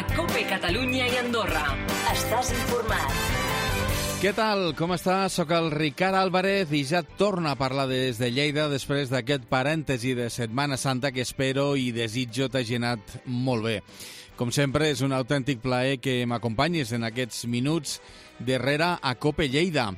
a COPE Catalunya i Andorra. Estàs informat. Què tal? Com estàs? Soc el Ricard Álvarez i ja torno a parlar des de Lleida després d'aquest parèntesi de Setmana Santa que espero i desitjo t'hagi anat molt bé. Com sempre, és un autèntic plaer que m'acompanyis en aquests minuts darrere a COPE Lleida.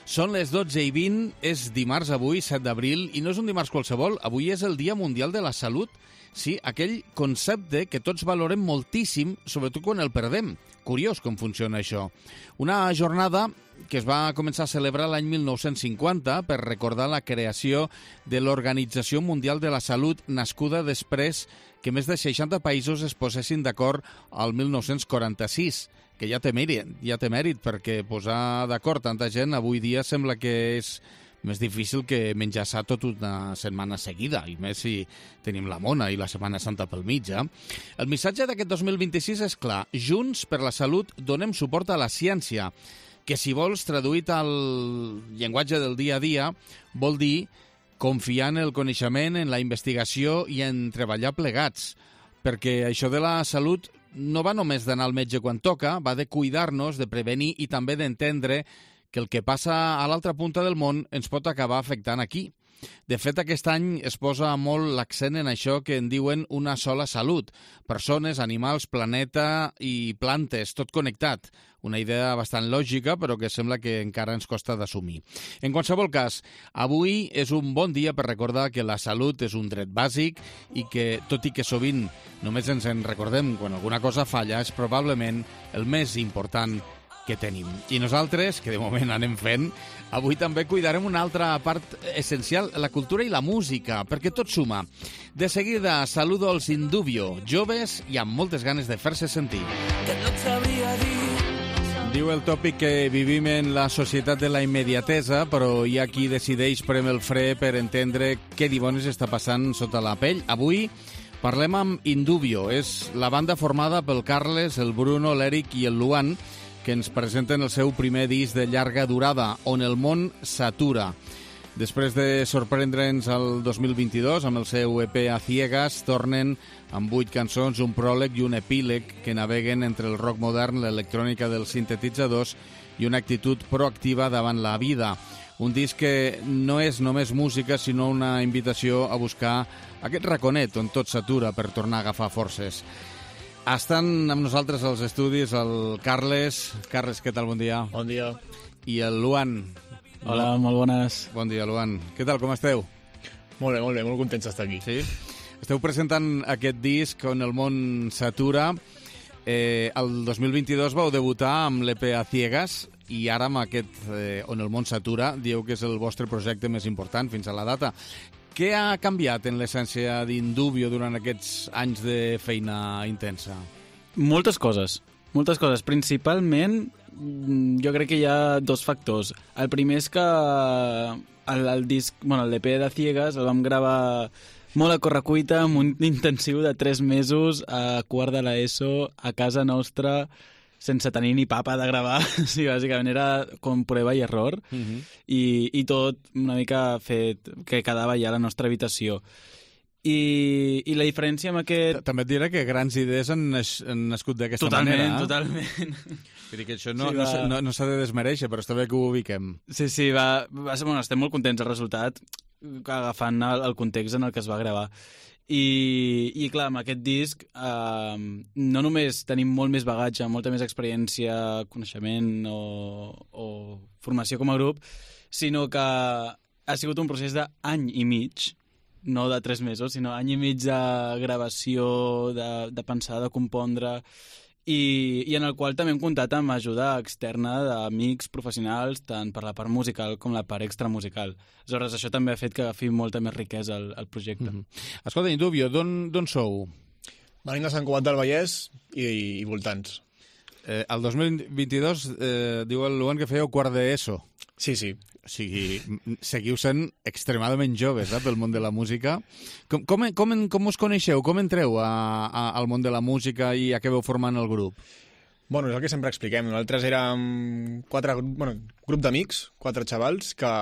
Són les 12:20, és dimarts avui, 7 d'abril, i no és un dimarts qualsevol, avui és el Dia Mundial de la Salut. Sí, aquell concepte que tots valorem moltíssim, sobretot quan el perdem. Curiós com funciona això. Una jornada que es va començar a celebrar l'any 1950 per recordar la creació de l'Organització Mundial de la Salut, nascuda després que més de 60 països es posessin d'acord al 1946, que ja té mèrit perquè posar d'acord tanta gent avui dia sembla que és més difícil que menjar-se tot una setmana seguida, i més si tenim la Mona i la Setmana Santa pel mig. El missatge d'aquest 2026 és clar: Junts per la Salut donem suport a la ciència, que si vols, traduït al llenguatge del dia a dia, vol dir confiar en el coneixement, en la investigació i en treballar plegats, perquè això de la salut no va només d'anar al metge quan toca, va de cuidar-nos, de prevenir i també d'entendre que el que passa a l'altra punta del món ens pot acabar afectant aquí. De fet, aquest any es posa molt l'accent en això que en diuen una sola salut. Persones, animals, planeta i plantes, tot connectat. Una idea bastant lògica, però que sembla que encara ens costa d'assumir. En qualsevol cas, avui és un bon dia per recordar que la salut és un dret bàsic i que, tot i que sovint només ens en recordem quan alguna cosa falla, és probablement el més important que tenim. I nosaltres, que de moment anem fent, avui també cuidarem una altra part essencial, la cultura i la música, perquè tot suma. De seguida, saludo als Indubio, joves i amb moltes ganes de fer-se sentir. Que no et sabria dir. Diu el tòpic que vivim en la societat de la immediatesa, però hi ha qui decideix prem el fre per entendre què dimonis està passant sota la pell. Avui parlem amb Indubio. És la banda formada pel Carles, el Bruno, l'Eric i el Luan, que ens presenten el seu primer disc de llarga durada, On el món s'atura. Després de sorprendre'ns el 2022 amb el seu EP A Ciegas, tornen amb 8 cançons, un pròleg i un epíleg que naveguen entre el rock modern, l'electrònica dels sintetitzadors i una actitud proactiva davant la vida. Un disc que no és només música, sinó una invitació a buscar aquest raconet on tot s'atura per tornar a agafar forces. Estan amb nosaltres als estudis el Carles. Carles, què tal? Bon dia. Bon dia. I el Luan. Hola, molt bones. Bon dia, Luan. Què tal, com esteu? Molt bé, molt contents d'estar aquí. Sí? Esteu presentant aquest disc On el món s'atura. El 2022 vau debutar amb l'EP A Ciegas i ara amb aquest On el món s'atura dieu que és el vostre projecte més important fins a la data. Què ha canviat en l'essència d'Indubio durant aquests anys de feina intensa? Moltes coses. Principalment, jo crec que hi ha dos factors. El primer és que el disc, l'EP de Ciegas el vam gravar molt a correcuita, amb un intensiu de 3 mesos a quart de l'ESO, a casa nostra, sense tenir ni papa de gravar. Sí, bàsicament era com prova i error. I tot una mica fet que quedava ja a la nostra habitació. I la diferència amb aquest... També et diré que grans idees han nascut d'aquesta manera. Totalment. Vull dir que això no s'ha de desmereixer, però està bé que ho ubiquem. Sí, estem molt contents del resultat, agafant el context en el que es va gravar. I clar, amb aquest disc no només tenim molt més bagatge, molta més experiència, coneixement o formació com a grup, sinó que ha sigut un procés d'any i mig, no de 3 mesos, sinó any i mig de gravació, de pensar, de compondre, i en el qual també hem comptat amb ajuda externa d'amics professionals, tant per la part musical com la part extramusical. Aleshores, això també ha fet que agafi molta més riquesa al projecte. Escolta, Indubio, d'on sou? Venim de Sant Cugat del Vallès i voltants. El 2022 diu el Luan que fèieu quart d'ESO. Sí. O sigui, seguiu sent extremadament joves pel món de la música. Com us coneixeu? Com entreu al món de la música i acabeu formant el grup? Bueno, és el que sempre expliquem. Nosaltres érem grup d'amics, 4 xavals, que,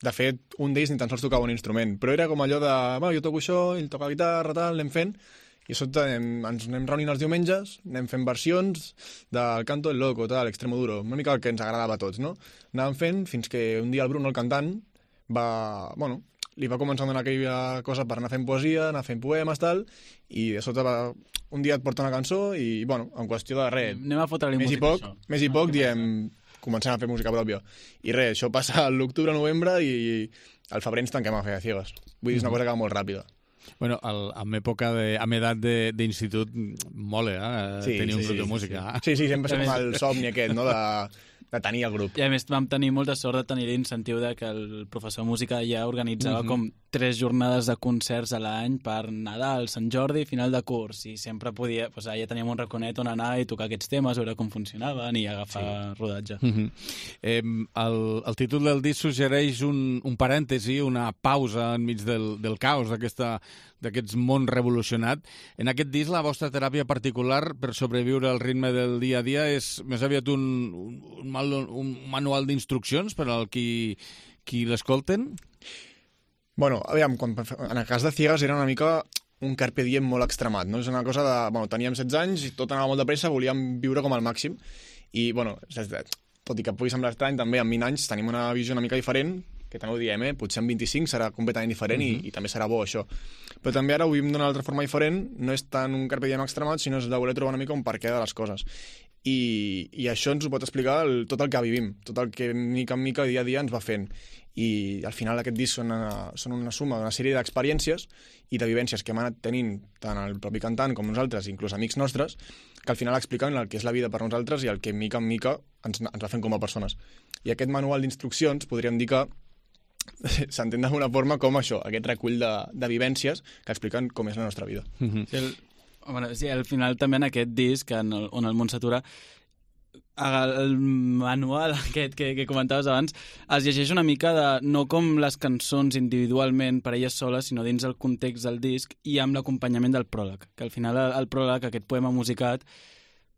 de fet, un d'ells ni tan sols tocava un instrument, però era com allò de, jo toco això, ell toca guitarra, tal, anem fent, I a sota ens anem reunint els diumenges, anem fent versions del Canto el Loco, tal, Extremo Duro, una mica el que ens agradava a tots, no? Anàvem fent fins que un dia el Bruno, el cantant, li va començar a donar aquella cosa per anar fent poesia, anar fent poemes, tal, i de sota un dia et porta una cançó i, en qüestió de res, Anem a fotre-li música, això. Més i poc, diem, comencem a fer música pròpia. I res, això passa a l'octubre, novembre, i al febrer ens tanquem a fer a ciegues. Vull dir, és una cosa que va molt ràpida. Bueno, amb edat d'institut, mola, tenir un grup de música. Sí, sempre som el somni aquest, no?, de tenir el grup. I a més vam tenir molta sort de tenir l'incentiu de que el professor de música ja organitzava com 3 jornades de concerts a l'any per Nadal, Sant Jordi i final de curs, i sempre podia, ja teníem un raconet on anar i tocar aquests temes, veure com funcionaven i agafar rodatge. El títol del disc suggereix un parèntesi, una pausa enmig del caos d'aquests món revolucionat. En aquest disc, la vostra teràpia particular per sobreviure al ritme del dia a dia és més aviat un manual d'instruccions per al qui l'escolten? Bueno, aviam, en el cas de Ciegues era una mica un carpe diem molt extremat, no? És una cosa de... teníem 16 anys i tot anava molt de pressa, volíem viure com al màxim. I, tot i que pugui semblar estrany, també amb 20 anys tenim una visió una mica diferent, que també ho diem, potser amb 25 serà completament diferent i també serà bo, això. Però també ara ho vivim d'una altra forma diferent, no és tant un carpe diem extremat, sinó és de voler trobar una mica un perquè de les coses. I això ens ho pot explicar tot el que vivim, tot el que mica en mica, dia a dia, ens va fent. I al final aquest disc són una suma d'una sèrie d'experiències i de vivències que hem anat tenint tant el propi cantant com nosaltres, inclús amics nostres, que al final expliquen el que és la vida per nosaltres i el que mica en mica ens va fent com a persones. I aquest manual d'instruccions podríem dir que s'entén d'alguna forma com això, aquest recull de vivències que expliquen com és la nostra vida. Sí, al final també en aquest disc on el món s'atura, el manual aquest que comentaves abans es llegeix una mica no com les cançons individualment per elles soles, sinó dins el context del disc i amb l'acompanyament del pròleg, que al final el pròleg, aquest poema musicat,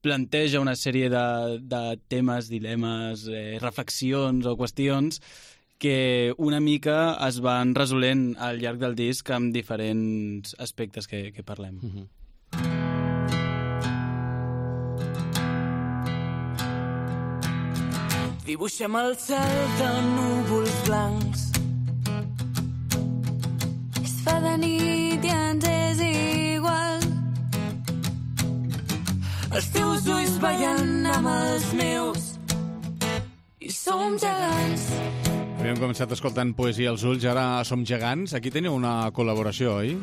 planteja una sèrie de temes, dilemes, reflexions o qüestions que una mica es van resolent al llarg del disc amb diferents aspectes que parlem. Dibuixem el cel de núvols blancs. Es fa de nit i ens és igual. Els teus ulls ballant amb els meus i som gegants. Havíem començat escoltant Poesia als ulls, ara som gegants. Aquí teniu una col·laboració, oi?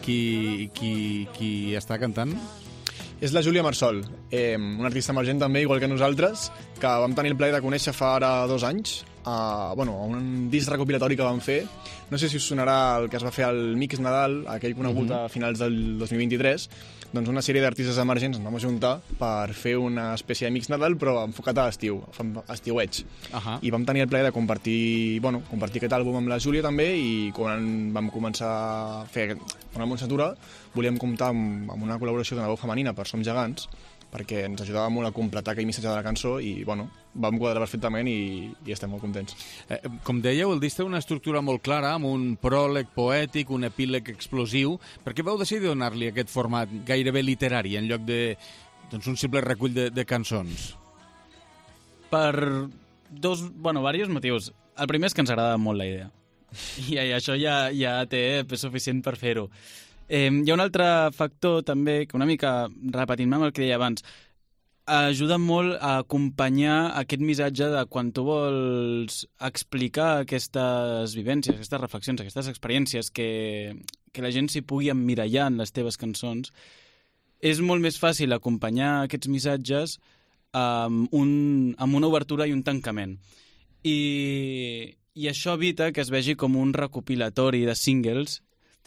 Qui està cantant? És la Júlia Marsol, una artista emergent també, igual que nosaltres, que vam tenir el plaer de conèixer fa ara 2 anys, a un disc recopilatori que vam fer. No sé si us sonarà el que es va fer al Mix Nadal, aquell conegut a finals del 2023, doncs una sèrie d'artistes emergents ens vam ajuntar per fer una espècie de Mix Nadal, però enfocat a l'estiu, estiueig. I vam tenir el plaer de compartir aquest àlbum amb la Júlia també, i quan vam començar a fer una Montsatura volíem comptar amb una col·laboració d'una veu femenina per Som Gegants, perquè ens ajudava molt a completar aquell missatge de la cançó i, vam quadrar perfectament i estem molt contents. Com dèieu, el disc té una estructura molt clara, amb un pròleg poètic, un epíleg explosiu. Per què vau decidir donar-li aquest format gairebé literari en lloc d'un simple recull de cançons? Per diversos motius. El primer és que ens agrada molt la idea. I això ja té suficient per fer-ho. Hi ha un altre factor també, que una mica repetint-me amb el que deia abans, ajuda molt a acompanyar aquest missatge de quan tu vols explicar aquestes vivències, aquestes reflexions, aquestes experiències, que la gent s'hi pugui emmirallar en les teves cançons. És molt més fàcil acompanyar aquests missatges amb una obertura i un tancament. I això evita que es vegi com un recopilatori de singles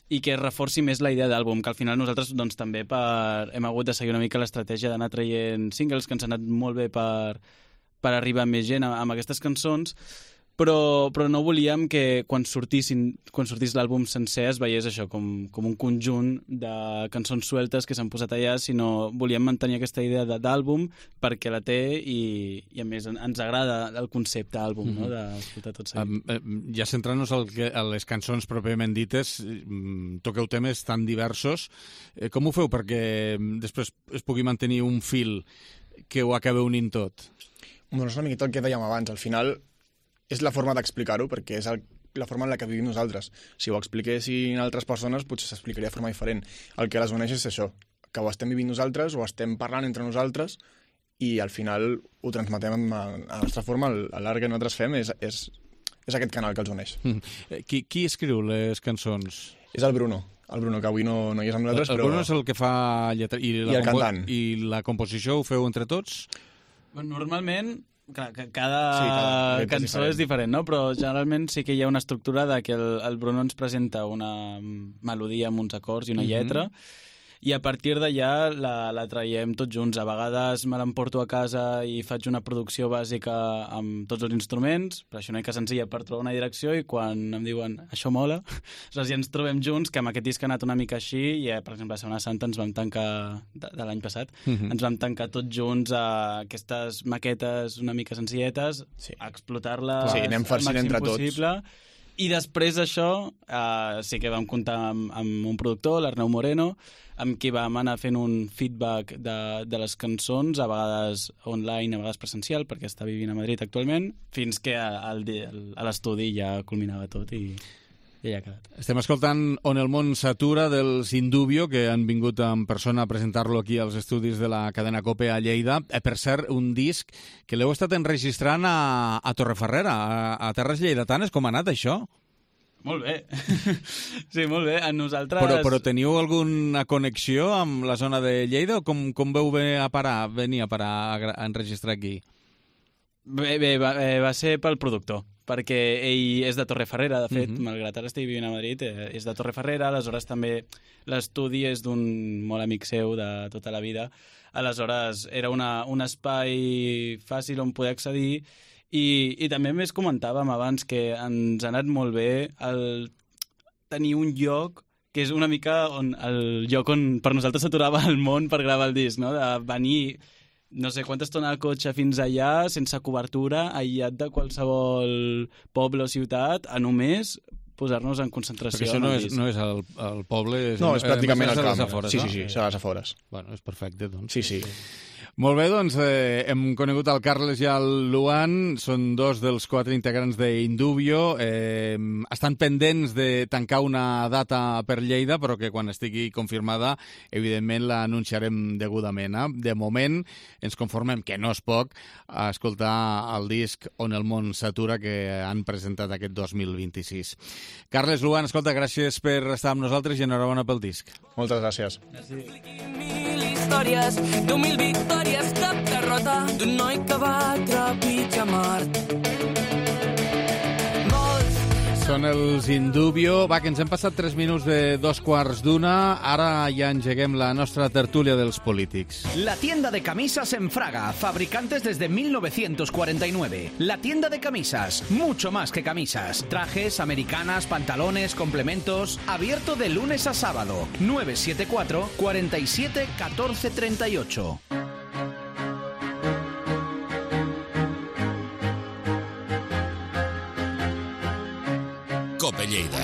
i que reforci més la idea d'àlbum, que al final nosaltres també hem hagut de seguir una mica l'estratègia d'anar traient singles, que ens ha anat molt bé per arribar a més gent amb aquestes cançons, però no volíem que quan sortís l'àlbum sencer es veiés això com un conjunt de cançons sueltes que s'han posat allà, sinó volíem mantenir aquesta idea d'àlbum perquè la té i a més ens agrada el concepte àlbum, no? D'escoltar tot seguit. Ja centrant-nos a les cançons pròpiament dites, toqueu temes tan diversos. Com ho feu perquè després es pugui mantenir un fil que ho acabeu unint tot? Bueno, és una miqueta el que dèiem abans. Al final és la forma d'explicar-ho, perquè és la forma en la que vivim nosaltres. Si ho expliquessin altres persones, potser s'explicaria de forma diferent. El que les uneix és això, que ho estem vivint nosaltres, ho estem parlant entre nosaltres, i al final ho transmetem a la nostra forma. L'art que nosaltres fem és aquest canal que els uneix. Qui escriu les cançons? És el Bruno, que avui no hi és amb nosaltres, El però... Bruno és el que fa lletra... I el cantant. I la composició ho feu entre tots? Normalment, clar, cada cançó és diferent, no? Però generalment sí que hi ha una estructura de que el Bruno ens presenta una melodia amb uns acords i una lletra, i a partir d'allà la traiem tots junts. A vegades me l'emporto a casa i faig una producció bàsica amb tots els instruments, però això no és senzilla per trobar una direcció, i quan em diuen això mola, aleshores ja ens trobem junts, que amb aquest disc ha anat una mica així, i per exemple a Setmana Santa ens vam tancar, de l'any passat, ens vam tancar tots junts a aquestes maquetes una mica senzilletes, a explotar-les anem al farcint màxim entre possible. I després d'això sí que vam comptar amb un productor, l'Arnau Moreno, amb qui vam anar fent un feedback de les cançons, a vegades online, a vegades presencial, perquè està vivint a Madrid actualment, fins que a l'estudi ja culminava tot i ja ha quedat. Estem escoltant On el món s'atura dels Indubio, que han vingut en persona a presentar-lo aquí als estudis de la cadena COPE a Lleida. Per cert, un disc que l'heu estat enregistrant a Torrefarrera, a Terres Lleidatanes. Com ha anat això? Molt bé. Sí, molt bé. A nosaltres... Però teniu alguna connexió amb la zona de Lleida o com veu venir a parar a enregistrar aquí? Bé, va ser pel productor, perquè ell és de Torrefarrera, de fet, malgrat ara estigui vivint a Madrid, és de Torrefarrera, aleshores també l'estudi és d'un molt amic seu de tota la vida, aleshores era un espai fàcil on poder accedir. I també més comentàvem abans que ens ha anat molt bé el tenir un lloc que és una mica el lloc on per nosaltres s'aturava el món per gravar el disc, no? De venir no sé quanta estona al cotxe fins allà, sense cobertura, aïllat de qualsevol poble o ciutat, a només posar-nos en concentració. Perquè això no és el poble... No, és pràcticament al camp. Afores, sí, no? Sí, a les afores. Bueno, és perfecte, doncs. Sí. Molt bé, doncs hem conegut el Carles i el Luan, són dos dels 4 integrants d'Indubio, estan pendents de tancar una data per Lleida, però que quan estigui confirmada, evidentment l'anunciarem degudament. De moment ens conformem, que no és poc, a escoltar el disc On el món s'atura que han presentat aquest 2026. Carles, Luan, escolta, gràcies per estar amb nosaltres i enhorabona pel disc. Moltes gràcies. Mil històries, 10.000 victòries, cap derrota d'un noi que va trepitjar Mart. Són els Indubio. Va, que ens hem passat 3 minuts de 2:15. Ara ja engeguem la nostra tertúlia dels polítics. La tienda de camisas en Fraga, fabricantes desde 1949. La tienda de camisas, mucho más que camisas. Trajes, americanas, pantalones, complementos. Abierto de lunes a sábado. 974 47 14 38. COPE Lleida.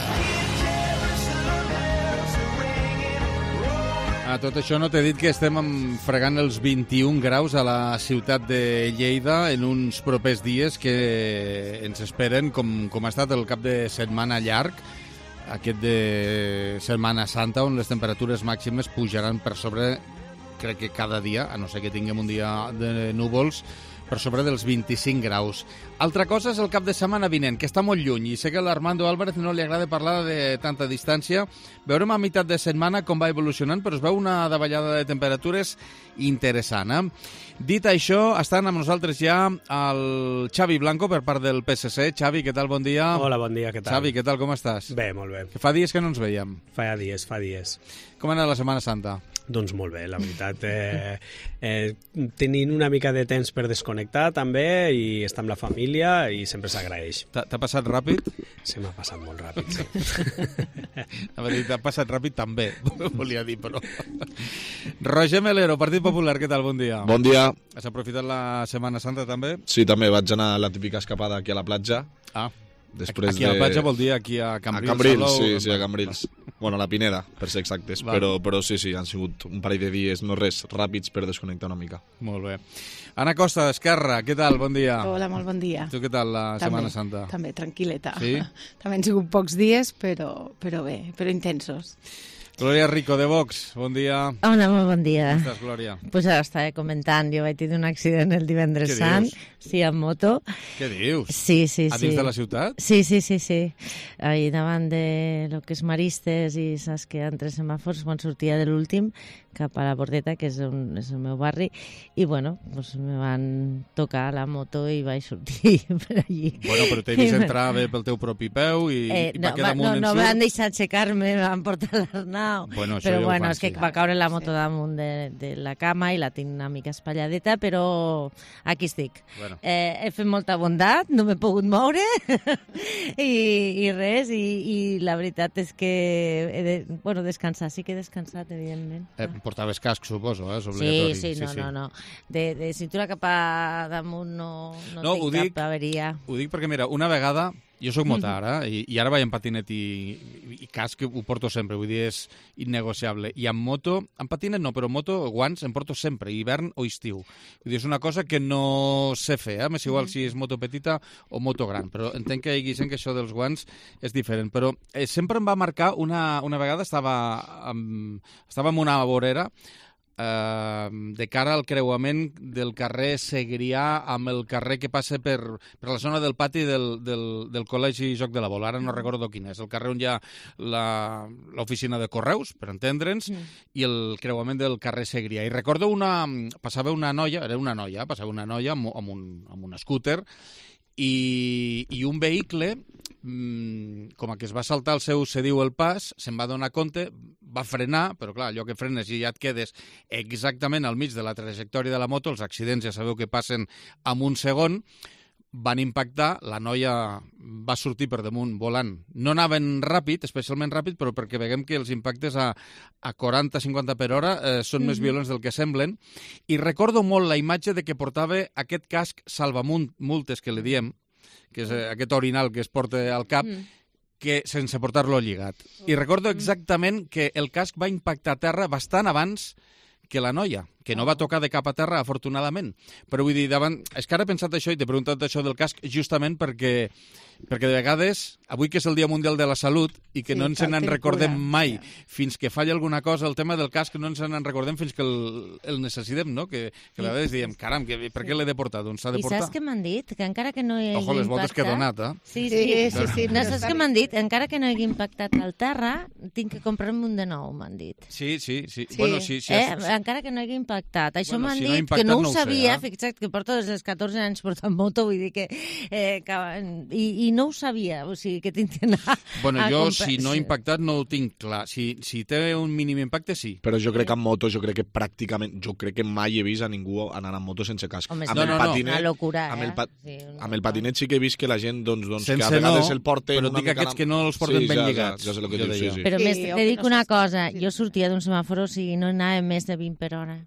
A tot això no t'he dit que estem fregant els 21 graus a la ciutat de Lleida en uns propers dies que ens esperen, com ha estat el cap de setmana llarg, aquest de Setmana Santa, on les temperatures màximes pujaran per sobre, crec que cada dia, a no ser que tinguem un dia de núvols, per sobre dels 25 graus. Altra cosa és el cap de setmana vinent, que està molt lluny, i sé que a l'Armando Álvarez no li agrada parlar de tanta distància. Veurem a meitat de setmana com va evolucionant, però es veu una davallada de temperatures interessant. Dit això, estan amb nosaltres ja el Xavi Blanco per part del PSC. Xavi, què tal? Bon dia. Hola, bon dia, què tal? Xavi, què tal? Com estàs? Bé, molt bé. Que fa dies que no ens veiem. Fa dies. Com ha anat la Setmana Santa? Doncs molt bé, la veritat. Tenint una mica de temps per desconnectar també i estar amb la família i sempre s'agraeix. T'ha passat ràpid? Se m'ha passat molt ràpid, sí. T'ha passat ràpid també, volia dir, però... Roger Melero, Partit Popular, què tal? Bon dia. Bon dia. Has aprofitat la Setmana Santa també? Sí, també vaig anar a la típica escapada aquí a la platja. Després aquí a la platja vol dir aquí a Cambrils? A Cambrils, sí, a Cambrils. Bueno, a la Pineda, per ser exactes. Però sí, han sigut un parell de dies, no res, ràpids per desconnectar una mica. Molt bé. Anna Costa, d'Esquerra, què tal? Bon dia. Hola, molt bon dia. Tu què tal la Setmana Santa? També, tranquil·leta. Sí? També han sigut pocs dies, però bé, però intensos. Glòria Rico, de Vox, bon dia. Hola, molt bon dia. Com estàs, Glòria? Pues ara estava comentant, jo vaig tenir un accident el divendres sant, sí, amb moto. Què dius? Sí. A dins de la ciutat? Sí. Ahí davant de lo que és Maristes i saps que hi ha 3 semàfors quan sortia de l'últim cap a la Bordeta, que és el meu barri, i bueno, pues me van tocar la moto i vaig sortir per allí. Bueno, però t'he vist entrar bé pel teu propi peu i va quedar damunt no me van deixar aixecar-me, me van portar l'Arnau. Bueno, però bueno, és que va caure la moto damunt de la cama i la tinc una mica espalladeta, però aquí estic. Bueno. He fet molta bondat, no m'he pogut moure i res, i la veritat és que he de descansar, sí que he descansat, evidentment. Portaves casc, suposo, és obligatori. Sí, no. De cintura cap a damunt no tinc cap averia. Ho dic perquè, mira, una vegada, jo soc motara, i ara vaig en patinet i casc ho porto sempre, vull dir, és innegociable. I amb moto, amb patinet no, però moto, guants, em porto sempre, hivern o estiu. Vull dir, és una cosa que no sé fer, m'és igual si és moto petita o moto gran, però entenc que hi hagi gent que això dels guants és diferent. Però sempre em va marcar, una vegada estava en una vorera, de cara al creuament del carrer Segrià amb el carrer que passa per la zona del pati del Col·legi Joc de la Bola. Ara no recordo quin és. El carrer on hi ha l'oficina de correus, per entendre'ns, i el creuament del carrer Segrià. I recordo passava una noia amb un scooter i un vehicle, com que es va saltar el seu cediu el pas, se'n va donar compte, va frenar, però clar, allò que frenes i ja et quedes exactament al mig de la trajectòria de la moto, els accidents ja sabeu que passen en un segon, van impactar, la noia va sortir per damunt volant. No anaven ràpid, especialment ràpid, però perquè veiem que els impactes a 40-50 per hora són més violents del que semblen. I recordo molt la imatge de que portava aquest casc salvamultes, que li diem, que és aquest orinal que es porta al cap, que sense portar-lo lligat. I recordo exactament que el casc va impactar a terra bastant abans que la noia, que no va tocar de cap a terra, afortunadament. Però vull dir, és que ara he pensat això i t'he preguntat això del casc justament perquè de vegades, avui que és el Dia Mundial de la Salut i que no ens en recordem mai fins que falla alguna cosa, el tema del casc no ens en recordem fins que el necessitem, no? Que a vegades diem, caram, per què l'he de portar? Doncs s'ha de portar. I saps què m'han dit? Que encara que no hi hagi impactat... Ojo, les voltes que he donat, eh? Sí. No, saps què m'han dit? Encara que no hagi impactat al terra, tinc que comprar-me un de nou, m'han dit. Sí. Bueno, sí. Encara que no hagi impactat. Això m'han dit que no ho sabia, fixa't que porto des dels 14 anys portant moto, vull dir que... I no ho sabia, o sigui que tinc d'anar a comprar. Jo, si no ha impactat, no ho tinc clar. Si té un mínim impacte, sí. Però jo crec que amb moto, jo crec que mai he vist a ningú anar amb moto sense casc. Home, una locura, amb el patinet sí que he vist que la gent, doncs que a vegades el porten... Però dic aquests que no els porten ben lligats. Ja sé el que dius, sí. Però més, te dic una cosa, jo sortia d'un semàfor, o sigui, no anava més de 20 per hora.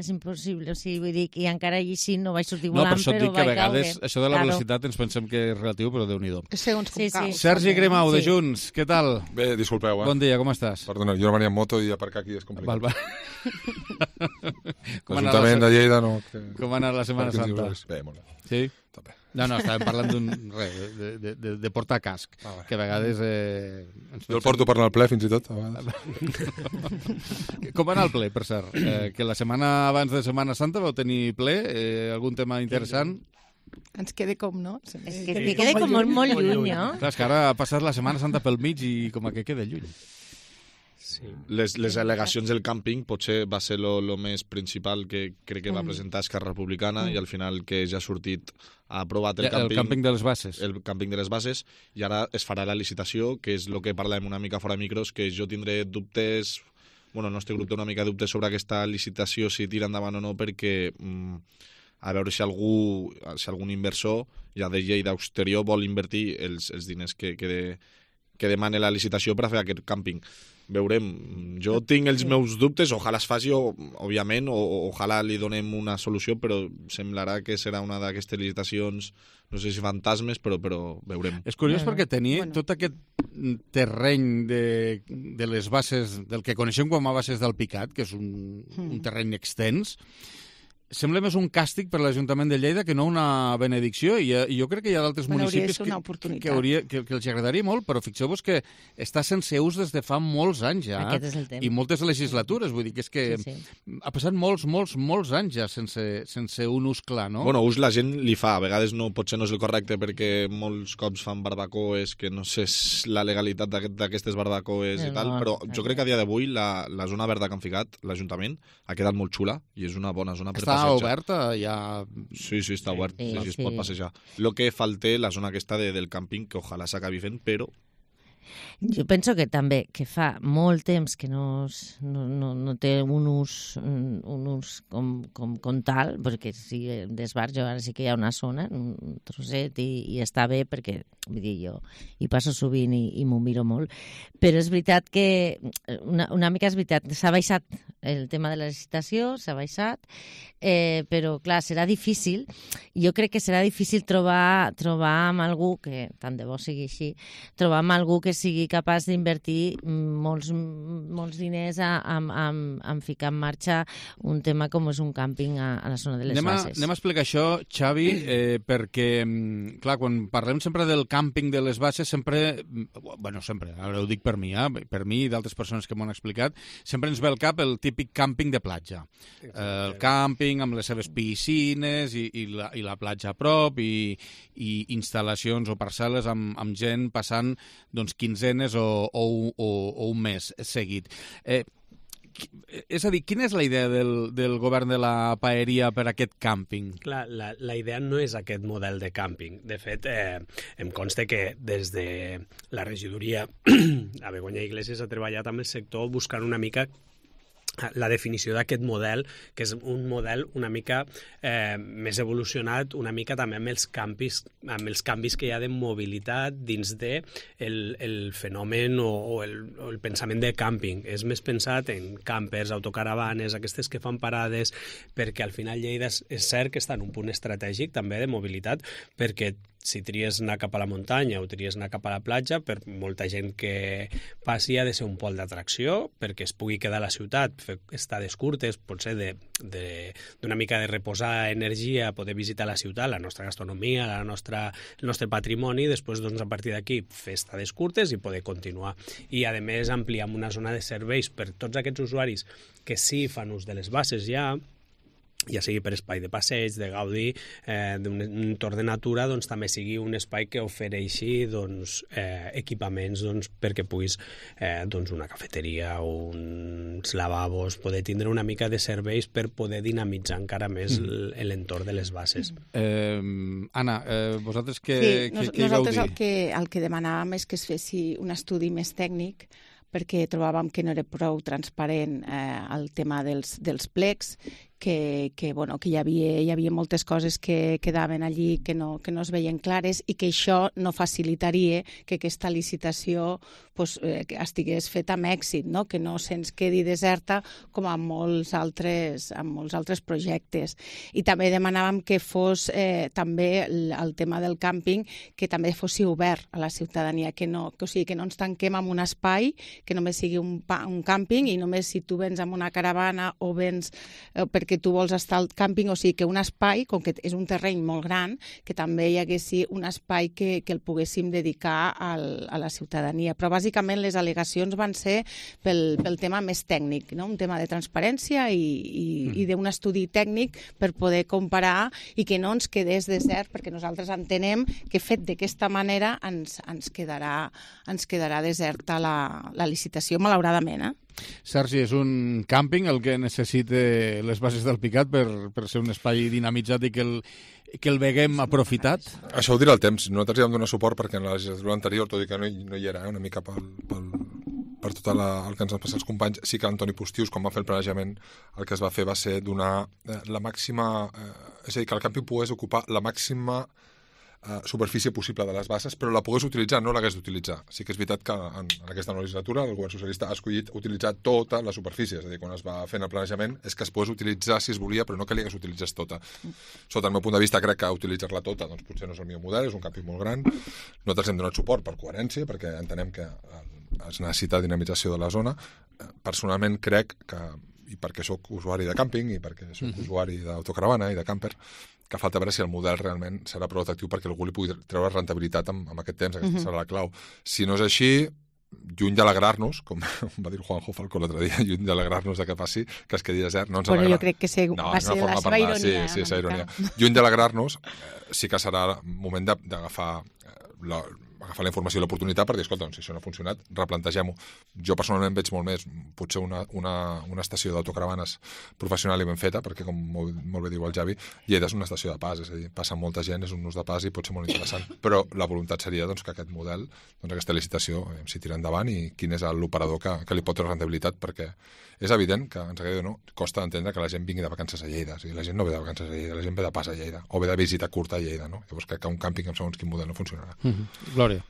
És impossible, o sigui, vull dir, i encara així no vaig sortir volant, però vaig caure. No, per això et dic que a vegades això de la velocitat ens pensem que és relatiu, però Déu-n'hi-do. Segons com cau. Sergi Grimau, de Junts, què tal? Bé, disculpeu, Bon dia, com estàs? Perdona, jo no venia amb moto i aparcar aquí és complicat. L'Ajuntament de Lleida no... Com ha anat la Setmana Santa? Bé, molt bé. Sí? També. No, estàvem parlant de portar casc, que a vegades... Jo el porto per anar al ple, fins i tot, a vegades. Com va anar el ple, per cert? Que la setmana abans de Setmana Santa vau tenir ple? Algun tema interessant? Ens queda com, no? És que queda com molt lluny, no? Clar, és que ara ha passat la Setmana Santa pel mig i com que queda lluny. Sí. Les al·legacions del càmping potser va ser lo més principal que crec que va presentar Esquerra Republicana i al final que ja ha sortit, ha aprovat el càmping de les bases. El càmping de les bases i ara es farà la licitació, que és el que parlem una mica fora de micros, que jo tindré dubtes el nostre grup té una mica de dubtes sobre aquesta licitació, si tira endavant o no, perquè a veure si algun inversor ja de Lleida exterior vol invertir els diners que demana la licitació per a fer aquest càmping. Veurem. Jo tinc els meus dubtes, ojalà es faci, òbviament, o ojalà li donem una solució, però semblarà que serà una d'aquestes licitacions, no sé si fantasmes, però veurem. És curiós perquè tenia tot aquest terreny de les bases, del que coneixem com a bases del Picat, que és un terreny extens, sembla més un càstig per l'Ajuntament de Lleida que no una benedicció, i jo crec que hi ha d'altres municipis que els agradaria molt, però fixeu-vos que està sense ús des de fa molts anys ja, i moltes legislatures, vull dir que és que ha passat molts anys ja sense un ús clar, no? Bueno, ús la gent li fa, a vegades potser no és el correcte perquè molts cops fan barbacoes, que no sé la legalitat d'aquestes barbacoes i tal, però jo crec que a dia d'avui la zona verda que han ficat, l'Ajuntament, ha quedat molt xula i és una bona zona per passejar. Està oberta ja? Sí, està obert, sí, es pot passejar. Lo que falta la zona aquesta del càmping, que ojalà s'acabi fent, però... Jo penso que també que fa molt temps que no té un ús com tal, perquè sí, d'esbarjo ara sí que hi ha una zona, un trosset, i està bé perquè, vull dir, jo hi passo sovint i m'ho miro molt, però és veritat que una mica és veritat, s'ha baixat el tema de la licitació, s'ha baixat, però clar, serà difícil, jo crec que serà difícil trobar amb algú, que tant de bo sigui així, trobar amb algú que sigui capaç d'invertir molts diners en ficar en marxa un tema com és un càmping a la zona de les bases. Anem a explicar això, Xavi, perquè, clar, quan parlem sempre del càmping de les bases, sempre, ara ho dic per mi i d'altres persones que m'ho han explicat, sempre ens ve al cap el típic càmping de platja. El càmping amb les seves piscines i la platja a prop i instal·lacions o parcel·les amb gent passant doncs quinzenes o un mes seguit. És a dir, quina és la idea del govern de la Paeria per aquest càmping? Clar, la idea no és aquest model de càmping. De fet, em consta que des de la regidoria a Begoña Iglesias ha treballat amb el sector buscant una mica la definició d'aquest model, que és un model una mica més evolucionat, una mica també amb els canvis que hi ha de mobilitat dins de el fenomen o el pensament de càmping. És més pensat en campers, autocaravanes, aquestes que fan parades, perquè al final Lleida és cert que està en un punt estratègic també de mobilitat, perquè si tries anar cap a la muntanya o tries anar cap a la platja, per molta gent que passi ha de ser un pol d'atracció, perquè es pugui quedar a la ciutat, fer estades curtes, potser d'una mica de reposar energia, poder visitar la ciutat, la nostra gastronomia, el nostre patrimoni, després doncs, a partir d'aquí fer estades curtes i poder continuar. I a més ampliar una zona de serveis per tots aquests usuaris que sí fan ús de les bases ja sigui per espai de passeig, de gaudi, d'un entorn de natura, doncs també sigui un espai que ofereixi equipaments perquè puguis una cafeteria o uns lavabos, poder tindre una mica de serveis per poder dinamitzar encara més l'entorn de les bases. Anna, vosaltres què hi vau dir? Nosaltres el que demanàvem és que es fessi un estudi més tècnic, perquè trobàvem que no era prou transparent el tema dels plecs, que hi havia moltes coses que quedaven allí que no es veien clares i que això no facilitaria que aquesta licitació estigués feta amb èxit, no? Que no se'ns quedi deserta com amb molts altres projectes. I també demanàvem que fos també el tema del càmping, que també fos obert a la ciutadania, que no ens tanquem en un espai, que només sigui un càmping i només si tu vens amb una caravana o vens perquè tu vols estar al càmping, o sigui que un espai, com que és un terreny molt gran, que també hi haguessi un espai que el poguéssim dedicar a la ciutadania. Però bàsicament les al·legacions van ser pel tema més tècnic, no? Un tema de transparència i d'un estudi tècnic per poder comparar i que no ens quedés desert, perquè nosaltres entenem que fet d'aquesta manera ens quedarà deserta la licitació, malauradament. Sergi, és un càmping el que necessita les bases del Picat per ser un espai dinamitzat i que el veguem aprofitat? Això ho dirà el temps. Nosaltres hi vam donar suport perquè en la legislatura anterior, tot i que no hi era, una mica per tot el que ens han passat els companys, sí que Antoni Postius, quan va fer el planejament, el que es va fer va ser donar la màxima... és a dir, que el càmping pogués ocupar la màxima superfície possible de les bases, però la pogués utilitzar, no l'hagués d'utilitzar. Sí que és veritat que en aquesta nova legislatura el govern socialista ha escollit utilitzar tota la superfície, és a dir, quan es va fent el planejament és que es pogués utilitzar si es volia, però no que li hagués utilitzés tota. Sota el meu punt de vista crec que utilitzar-la tota doncs potser no és el millor model, és un càmping molt gran. Nosaltres hem donat suport per coherència, perquè entenem que es necessita dinamització de la zona. Personalment crec que, i perquè sóc usuari de càmping i perquè sóc usuari d'autocaravana i de camper, que falta veure si el model realment serà prou atractiu perquè algú li pugui treure rentabilitat amb aquest temps, aquesta serà la clau. Si no és així, lluny d'alegrar-nos, com va dir Juanjo Falcó l'altre dia, lluny d'alegrar-nos que passi, que es quedi desert, no ens alegra. Però jo crec que va ser la seva ironia. Sí, és ironia. Lluny d'alegrar-nos, sí que serà moment d'agafar la informació i l'oportunitat per dir, escolta, si això no ha funcionat, replantegem-ho. Jo personalment veig molt més potser una estació d'autocaravanes professional i ben feta, perquè com molt bé diu el Javi, Lleida és una estació de pas, és a dir, passa molta gent, és un ús de pas i pot ser molt interessant, però la voluntat seria doncs, que aquest model, doncs, aquesta licitació s'hi tira endavant i quin és l'operador que li pot treure rendibilitat, perquè és evident que, ens agradi o no, costa entendre que la gent vingui de vacances a Lleida. O sigui, la gent no ve de vacances a Lleida, la gent ve de pas a Lleida, o ve de visita curta a Lleida, no? Llavors crec que un càmping amb segons quin model no funcionarà. Glòria.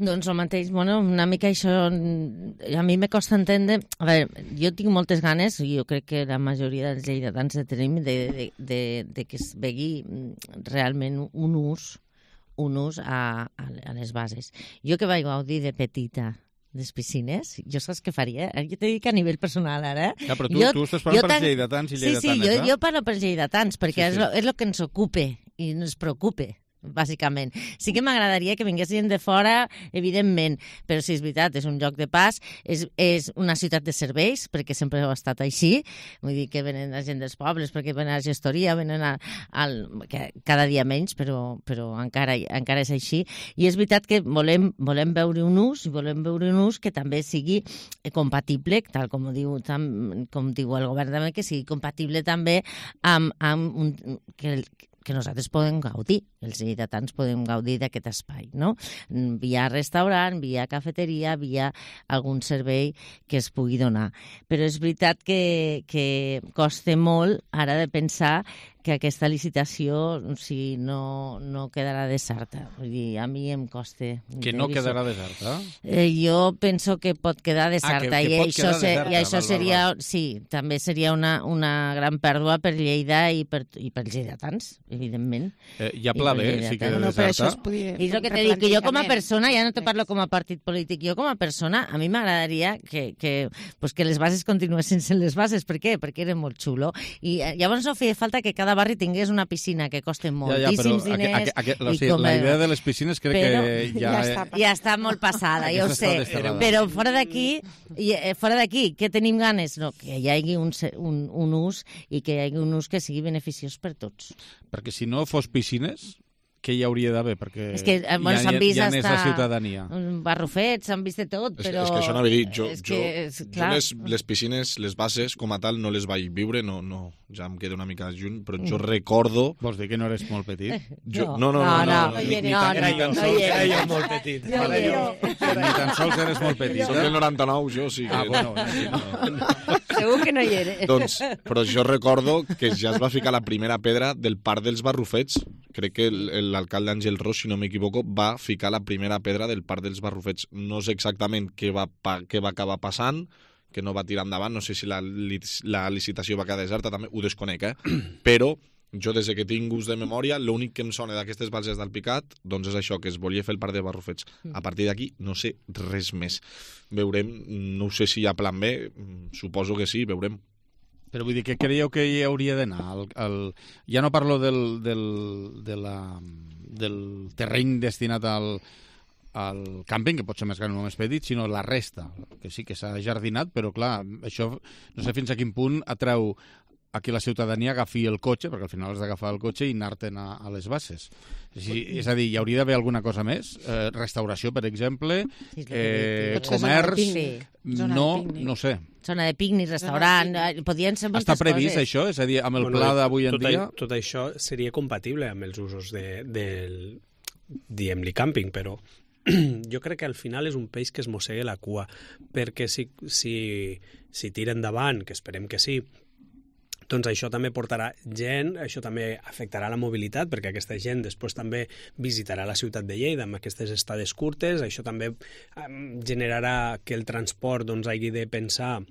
Doncs el mateix, bueno, una mica això a mi me costa entendre. A veure, jo tinc moltes ganes, i jo crec que la majoria dels lleidatans de tenim, de que es vegi realment un ús a les bases. Jo que vaig gaudir de petita les piscines, jo saps què faria? Jo t'he dit que a nivell personal, ara... Ja, però tu estàs parlant pels lleidatans i lleidatanes, Sí, jo parlo pels lleidatans, perquè és el que ens ocupa i ens preocupa, bàsicament. Sí que m'agradaria que vingués gent de fora, evidentment, però sí, és veritat, és un lloc de pas, és una ciutat de serveis, perquè sempre ha estat així, vull dir que venen la gent dels pobles, perquè venen a la gestoria, venen cada dia menys, però encara és així, i és veritat que volem veure un ús, i volem veure un ús que també sigui compatible, tal com diu el govern també, que sigui compatible també amb que nosaltres podem gaudir, els lleidatans podem gaudir d'aquest espai, no? Via restaurant, via cafeteria, via algun servei que es pugui donar. Però és veritat que costa molt ara de pensar que aquesta licitació no quedarà deserta. Vull dir, a mi em costa... Que no quedarà deserta? Jo penso que pot quedar deserta. Que pot quedar deserta. I això seria... Sí, també seria una gran pèrdua per Lleida i pels lleidatans, evidentment. Hi ha pla B, si queda deserta. I és el que t'he dit, que jo com a persona, ja no te parlo com a partit polític, jo com a persona, a mi m'agradaria que les bases continuessin sent les bases. Per què? Perquè era molt xulo. I llavors no feia falta que cada barri tingués una piscina que costa moltíssims diners. La idea de les piscines crec que ja està molt passada, ja ho sé. Però fora d'aquí, què tenim ganes? No, que hi hagi un ús i que hi hagi un ús que sigui beneficiós per tots. Perquè si no fos piscines, què hi hauria d'haver? Perquè és que, s'han vist ja n'és la ciutadania. Barrufets, s'han vist de tot, però... És que això anava a dir, jo les piscines, les bases, com a tal, no les vaig viure, no, ja em queda una mica lluny, però jo recordo... Vols dir que no eres molt petit? No. Era jo molt petit. Ni tan sols eres molt petit. Soc del 99, jo, sí que... Bueno, segur que no hi era. Doncs, però jo recordo que ja es va ficar la primera pedra del Parc dels Barrufets. Crec que l'alcalde Àngel Ros, si no m'equivoco, va ficar la primera pedra del Parc dels Barrufets. No sé exactament què va acabar passant, que no va tirar endavant, no sé si la licitació va quedar deserta, també ho desconec, però jo des que tinc gust de memòria, l'únic que em sona d'aquestes bases d'Alpicat doncs és això, que es volia fer el Parc de Barrufets. A partir d'aquí no sé res més. Veurem, no sé si hi ha plan B, suposo que sí, veurem. Però vull dir, què creieu que hi hauria d'anar? Ja no parlo del terreny destinat al càmping, que pot ser més gran o més petit, sinó la resta, que sí que s'ha jardinat, però clar, això no sé fins a quin punt atreu a que la ciutadania agafi el cotxe, perquè al final has d'agafar el cotxe i anar-te'n a les bases. És a dir, hi hauria d'haver alguna cosa més? Restauració, per exemple, comerç... No sé. Zona de pícnic, restaurant, podien ser moltes coses. Està previst això? És a dir, amb el pla d'avui en dia? Tot això seria compatible amb els usos del diem-li càmping, però jo crec que al final és un peix que es mossega la cua, perquè si tira endavant, que esperem que sí, doncs això també portarà gent, això també afectarà la mobilitat, perquè aquesta gent després també visitarà la ciutat de Lleida amb aquestes estades curtes, això també generarà que el transport doncs, hagi de pensar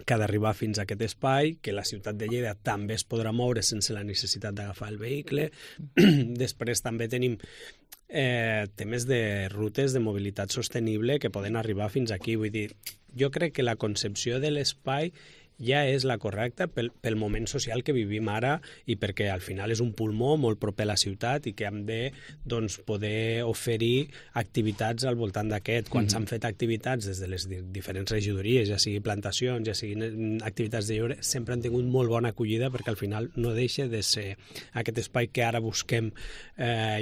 que ha d'arribar fins a aquest espai, que la ciutat de Lleida també es podrà moure sense la necessitat d'agafar el vehicle. Després també tenim temes de rutes de mobilitat sostenible que poden arribar fins aquí. Vull dir, jo crec que la concepció de l'espai ja és la correcta pel moment social que vivim ara i perquè al final és un pulmó molt proper a la ciutat i que hem de doncs, poder oferir activitats al voltant d'aquest. Quan s'han fet activitats des de les diferents regidories, ja sigui plantacions, ja siguin activitats de lleure, sempre han tingut molt bona acollida perquè al final no deixa de ser aquest espai que ara busquem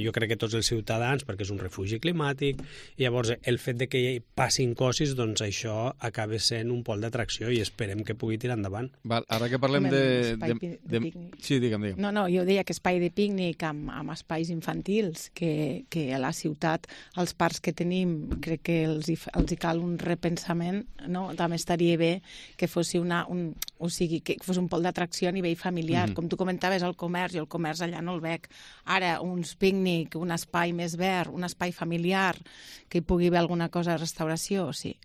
jo crec que tots els ciutadans perquè és un refugi climàtic i llavors el fet de que hi passin cossis doncs això acaba sent un pol d'atracció i esperem que pugui tirar endavant. Val, ara que parlem de pícnic. Sí, digue'm. No, jo deia que espai de pícnic amb espais infantils, que a la ciutat, els parcs que tenim, crec que els hi cal un repensament, no? També estaria bé que fos que fos un pol d'atracció a nivell familiar. Com tu comentaves, el comerç, i el comerç allà no el veig. Ara, uns pícnic, un espai més verd, un espai familiar, que hi pugui haver alguna cosa de restauració, sí.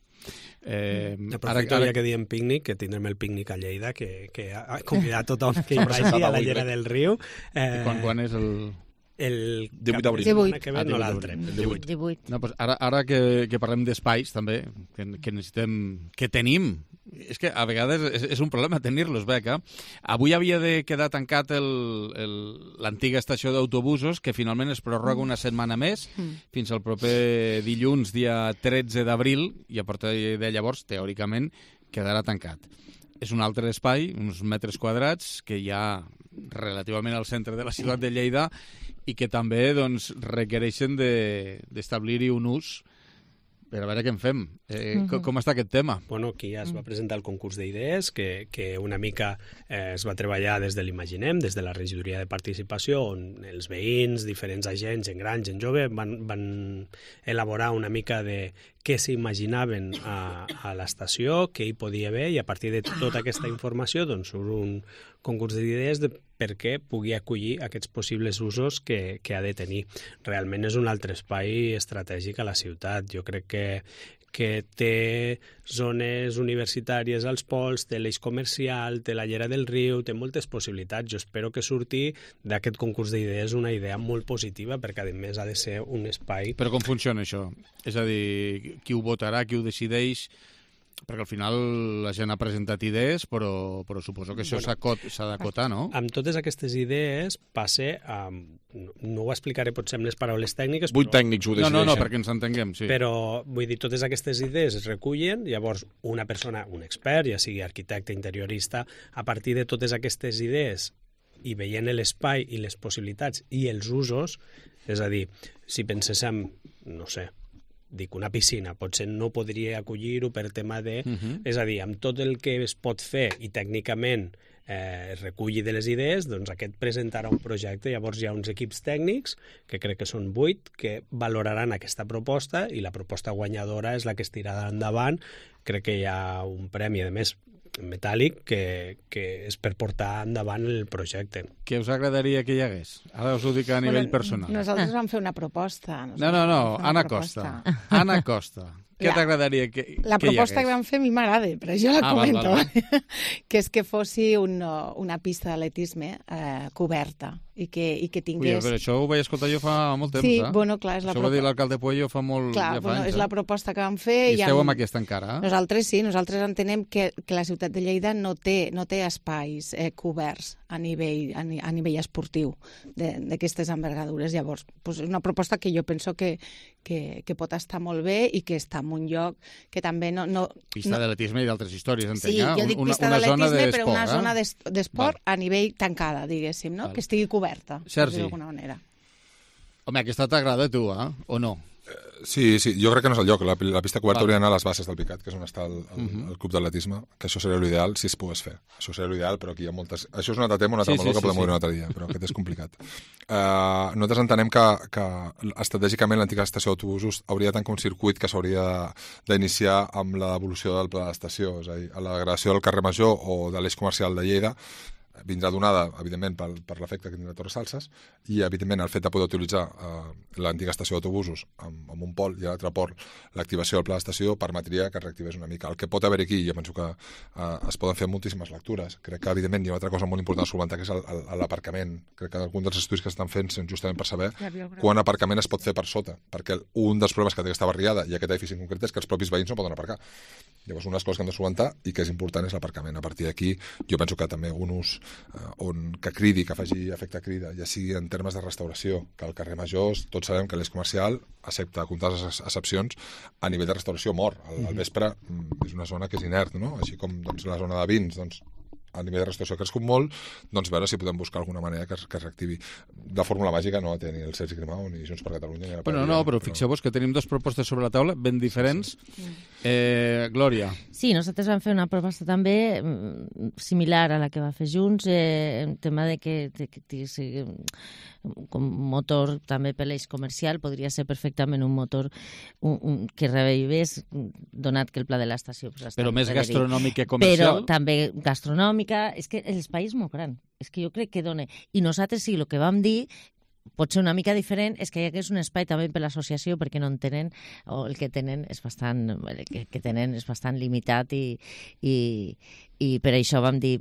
Ara que diem pícnic, que tindrem el pícnic a Lleida, que ha convidat tothom que hi vagi a la llera del riu. Quan és el 18 d'abril. 18. No l'altre. 18. No, pues ara que parlem d'espais, també, que necessitem, que tenim, és que a vegades és un problema tenir-los, Beca. Avui havia de quedar tancat l'antiga estació d'autobusos, que finalment es prorroga una setmana més, fins al proper dilluns, dia 13 d'abril, i a partir de llavors, teòricament, quedarà tancat. És un altre espai, uns metres quadrats, que hi ha relativament al centre de la ciutat de Lleida i que també doncs, requereixen d'establir-hi un ús per a veure què en fem. Com està aquest tema? Bueno, aquí ja es va presentar el concurs d'idees, que una mica es va treballar des de l'Imaginem, des de la regidoria de participació, on els veïns, diferents agents, gent gran, gent jove, van elaborar una mica de què s'imaginaven a l'estació, què hi podia haver, i a partir de tota aquesta informació doncs, surt un concurs d'idees perquè pugui acollir aquests possibles usos que ha de tenir. Realment és un altre espai estratègic a la ciutat. Jo crec que té zones universitàries als pols, té l'eix comercial, té la llera del riu, té moltes possibilitats. Jo espero que surti d'aquest concurs d'idees una idea molt positiva, perquè a més ha de ser un espai... Però com funciona això? És a dir, qui ho votarà, qui ho decideix? Perquè al final la gent ha presentat idees, però suposo que això s'ha d'acotar, no? Amb totes aquestes idees passa... no ho explicaré potser amb les paraules tècniques, 8 tècnics ho decideixen. No, perquè ens entenguem, sí. Però, vull dir, totes aquestes idees es recullen, llavors una persona, un expert, ja sigui arquitecte, interiorista, a partir de totes aquestes idees i veient l'espai i les possibilitats i els usos, és a dir, si penséssim, no sé, dic, una piscina, potser no podria acollir-ho per tema de... És a dir, amb tot el que es pot fer i tècnicament es reculli de les idees, doncs aquest presentarà un projecte, llavors hi ha uns equips tècnics, que crec que són 8, que valoraran aquesta proposta i la proposta guanyadora és la que es tirarà endavant. Crec que hi ha un premi, a més, metàl·lic, que és per portar endavant el projecte. Què us agradaria que hi hagués? Ara us ho dic a nivell personal. Nosaltres vam fer una proposta. No, Anna Costa. Anna Costa. Què t'agradaria que hi hagués? La proposta que vam fer a mi m'agrada, però jo la comento. Que és que fossi una pista d'atletisme coberta i que tingués... Però això ho vaig escoltar jo fa molt temps, Sí, bueno, clar, és la proposta. Això va dir l'alcalde Puello fa molt... Clar, bueno, és la proposta que vam fer. I esteu amb aquesta encara? Nosaltres sí, nosaltres entenem que la ciutat de Lleida no té espais coberts a nivell esportiu d'aquestes envergadures. Llavors, és una proposta que jo penso que pot estar molt bé i que està en un lloc que també no... Pista d'atletisme i d'altres històries, entenc. Sí, jo dic pista d'atletisme, però una zona d'esport a nivell tancada, diguéssim, no? Que estigui coberta, per dir d'alguna manera. Home, aquesta t'agrada a tu, o no? Sí, jo crec que no és el lloc. La pista coberta hauria d'anar a les bases del Picat, que és on està el club d'atletisme, que això seria l'ideal si es pogués fer. Això seria l'ideal, però aquí hi ha moltes... Això és un altre tema, un altre meló que podem obrir un altre dia, però aquest és complicat. Nosaltres entenem que estratègicament l'antiga estació d'autobusos hauria de tancar un circuit que s'hauria d'iniciar amb l'evolució del pla d'estació, és a dir, a la degradació del carrer Major o de l'eix comercial de Lleida, vindrà donada, evidentment, per l'efecte que tindrà Torres Salses i, evidentment, el fet de poder utilitzar l'antiga estació d'autobusos amb un pol i a l'altre port, l'activació del pla d'estació permetria que es reactivés una mica. El que pot haver aquí, jo penso que es poden fer moltíssimes lectures. Crec que, evidentment, hi ha una altra cosa molt important a solventar, que és l'aparcament. Crec que algun dels estudis que estan fent són justament per saber quant aparcament es pot fer per sota, perquè un dels problemes que té aquesta barriada i aquest edifici en concret és que els propis veïns no poden aparcar. Llavors, una de les coses que hem de solventar i que és important és l'aparcament. A partir d'aquí, jo penso que també un ús que cridi, que faci efecte crida, ja sigui en termes de restauració, que al carrer Major tots sabem que l'eix comercial, excepte comptades excepcions, a nivell de restauració mor. Al vespre és una zona que és inert, no? Així com la zona de vins, a nivell de restauració ha crescut molt, veure si podem buscar alguna manera que es reactivi. De fórmula màgica no té ni el Sergi Grimau ni Junts per Catalunya. Però fixeu-vos que tenim dues propostes sobre la taula ben diferents. Glòria. Sí, nosaltres vam fer una proposta també similar a la que va fer Junts, en tema de que com motor també per l'eix comercial podria ser perfectament un motor que revivés, donat que el pla de l'estació... Però més gastronòmic que comercial? Però també gastronòmica. És que l'espai és molt gran. És que jo crec que dona... I nosaltres sí, el que vam dir pot ser una mica diferent, és que hi hagués un espai també per l'associació, perquè no en tenen, o el que tenen és bastant, limitat i per això vam dir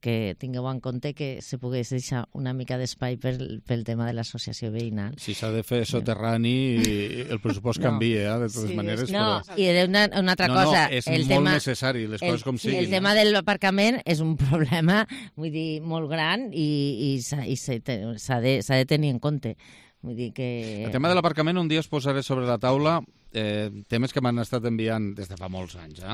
que tingueu en compte que se pogués deixar una mica d'espai pel tema de l'associació veïnal. Si s'ha de fer soterrani, el pressupost canvia, de totes maneres. No, i una altra cosa. És molt necessari, les coses com siguin. El tema de l'aparcament és un problema, vull dir, molt gran i s'ha de tenir en compte. Vull dir que... El tema de l'aparcament un dia es posaré sobre la taula temes que m'han estat enviant des de fa molts anys,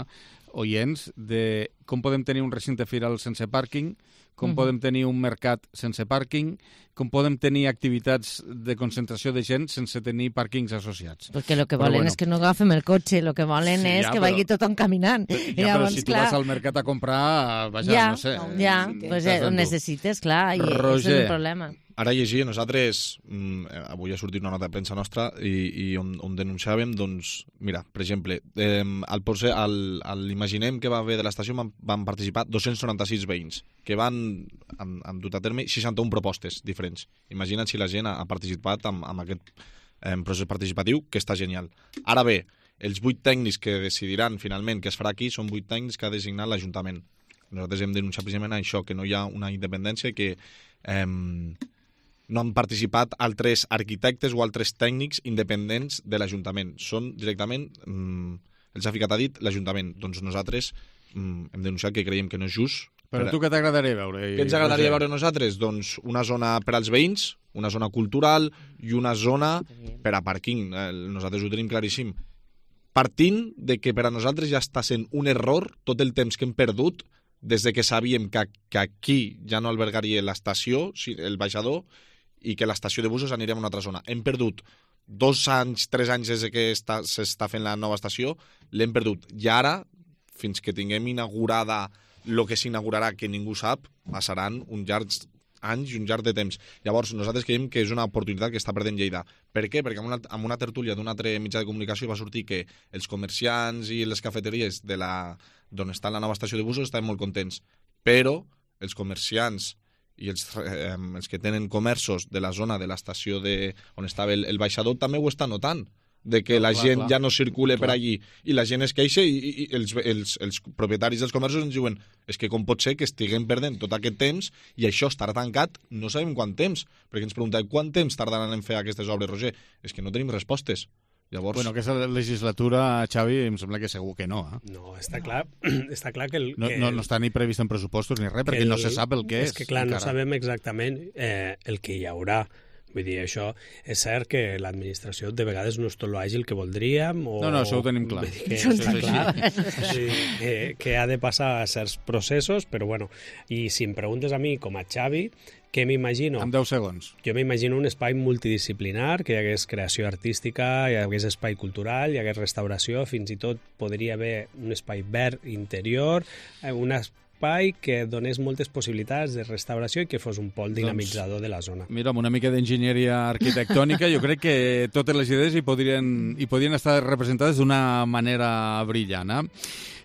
oients, de com podem tenir un recinte firal sense pàrquing, com podem tenir un mercat sense pàrquing, com podem tenir activitats de concentració de gent sense tenir pàrquings associats. Perquè el que volen és que no agafem el cotxe, el que volen és que vagi tothom caminant. Però si tu vas al mercat a comprar, no sé... Ja, ho necessites, clar, i és un problema. Ara llegia, nosaltres, avui ha sortit una nota de premsa nostra i on denunciàvem, doncs, mira, per exemple, l'Imaginem que va haver de l'estació van participar 296 veïns, que han dut a terme 61 propostes diferents. Imagina't si la gent ha participat amb aquest procés participatiu, que està genial. Ara bé, els 8 tècnics que decidiran finalment què es farà aquí són 8 tècnics que ha designat l'Ajuntament. Nosaltres hem denunciat precisament això, que no hi ha una independència, que no han participat altres arquitectes o altres tècnics independents de l'Ajuntament. Són directament, els ha ficat a dit l'Ajuntament. Doncs nosaltres hem denunciat que creiem que no és just. Però tu què t'agradaria veure? Què ens agradaria veure nosaltres? Doncs una zona per als veïns, una zona cultural i una zona per a pàrquing. Nosaltres ho tenim claríssim. Partint de que per a nosaltres ja està sent un error tot el temps que hem perdut des de que sabíem que aquí ja no albergaria l'estació, el baixador, i que l'estació de busos aniria a una altra zona. Hem perdut 2 anys, 3 anys des que s'està fent la nova estació, l'hem perdut. I ara, fins que tinguem inaugurada el que s'inaugurarà, que ningú sap, passaran uns llargs anys i un llarg de temps. Llavors, nosaltres creiem que és una oportunitat que està perdent Lleida. Per què? Perquè en una tertúlia d'un altre mitjà de comunicació va sortir que els comerciants i les cafeteries d'on està la nova estació de busos estaven molt contents, però els comerciants i els que tenen comerços de la zona de l'estació on estava el baixador també ho estan notant, de que la gent ja no circula per allí i la gent es queixa i els propietaris dels comerços ens diuen és que com pot ser que estiguem perdent tot aquest temps i això estarà tancat no sabem quant temps, perquè ens preguntem quant temps tardaran en fer aquestes obres, Roger? És que no tenim respostes. Llavors... Bueno, aquesta legislatura, Xavi, em sembla que segur que no. No, està clar que... No està ni previst en pressupostos ni res, perquè no se sap el que és. És que, clar, no sabem exactament el que hi haurà. Vull dir, això és cert que l'administració de vegades no és tot l'àgil que voldríem. O... No, això ho tenim clar. Vull dir que això està clar. Que ha de passar certs processos, però bueno, i si em preguntes a mi, com a Xavi, què m'imagino? En 10 segons. Jo m'imagino un espai multidisciplinar, que hi hagués creació artística, hi hagués espai cultural, hi hagués restauració, fins i tot podria haver un espai verd interior, un espai que donés moltes possibilitats de restauració i que fos un pol dinamitzador de la zona. Mira, amb una mica d'enginyeria arquitectònica, jo crec que totes les idees hi podrien estar representades d'una manera brillant.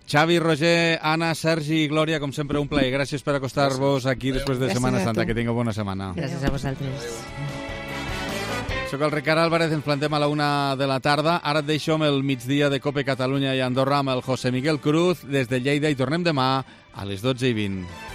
Xavi, Roger, Anna, Sergi i Glòria, com sempre, un plaer. Gràcies per acostar-vos aquí després de Setmana Santa. Que tingueu bona setmana. Gràcies a vosaltres. Soc el Ricard Álvarez, ens plantem a la 1 de la tarda. Ara et deixo amb el migdia de Cope Catalunya i Andorra amb el José Miguel Cruz des de Lleida i tornem demà a les 12:20.